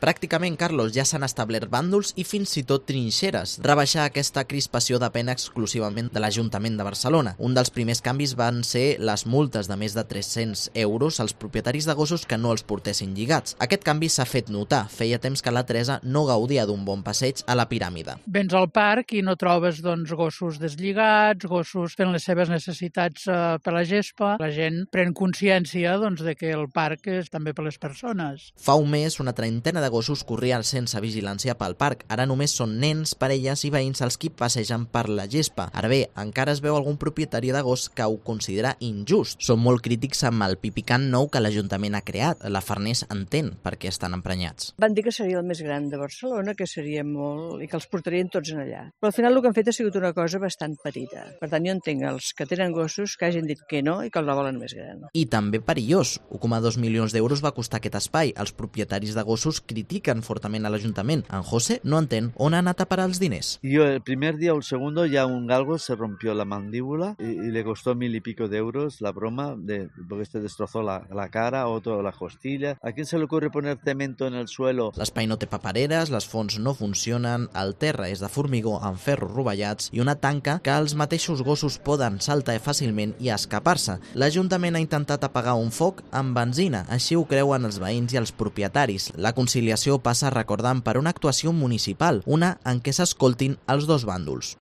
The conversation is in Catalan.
Pràcticament, Carlos, ja s'han establert bàndols i fins i tot trinxeres. Rebaixar aquesta crispació depèn exclusivament de l'Ajuntament de Barcelona. Un dels primers canvis van ser les multes de més de 300 euros als propietaris de gossos que no els portessin lligats. Aquest canvi s'ha fet notar. Feia temps que la Teresa no gaudia d'un bon passeig a la piràmide. Vens al parc i no trobes gossos deslligats, gossos fent les seves necessitats per la gespa. La gent pren consciència de que el parc és també per les persones. Fa un mes, una trentena de gossos corrien sense vigilància pel parc. Ara només són nens, parelles i veïns els qui passegen per la gespa. Ara bé, encara es veu algun propietari de gos que ho considera injust. Són molt crítics amb el pipicant nou que l'Ajuntament ha creat. La Farners entén per què estan emprenyats. Van dir que seria el més gran de Barcelona, que seria molt... i que els portarien tots en allà. Però al final el que han fet ha sigut una cosa bastant petita. Per tant, jo entenc els que tenen gossos que hagin dit que no i que el volen més gran. I també perillós. 1,2 milions d'euros va costar aquest espai. Els propietaris de gossos critiquen fortament a l'Ajuntament. En José no entén on ha anat a parar els diners. Yo el primer día o el segundo ya un galgo se rompió la mandíbula y le costó 1.000 y pico de euros la broma porque este destrozó la cara, otro la costilla. ¿A quién se le ocurre poner cemento en el suelo? L'espai no té papereres, les fonts no funcionen, el terra és de formigó amb ferros rovellats i una tanca que els mateixos gossos poden saltar fàcilment i escapar-se. L'Ajuntament ha intentat apagar un foc amb benzina, així ho creuen els veïns i els propietaris. La conciliació passa recordant per una actuació municipal, una en què s'escoltin els dos bàndols.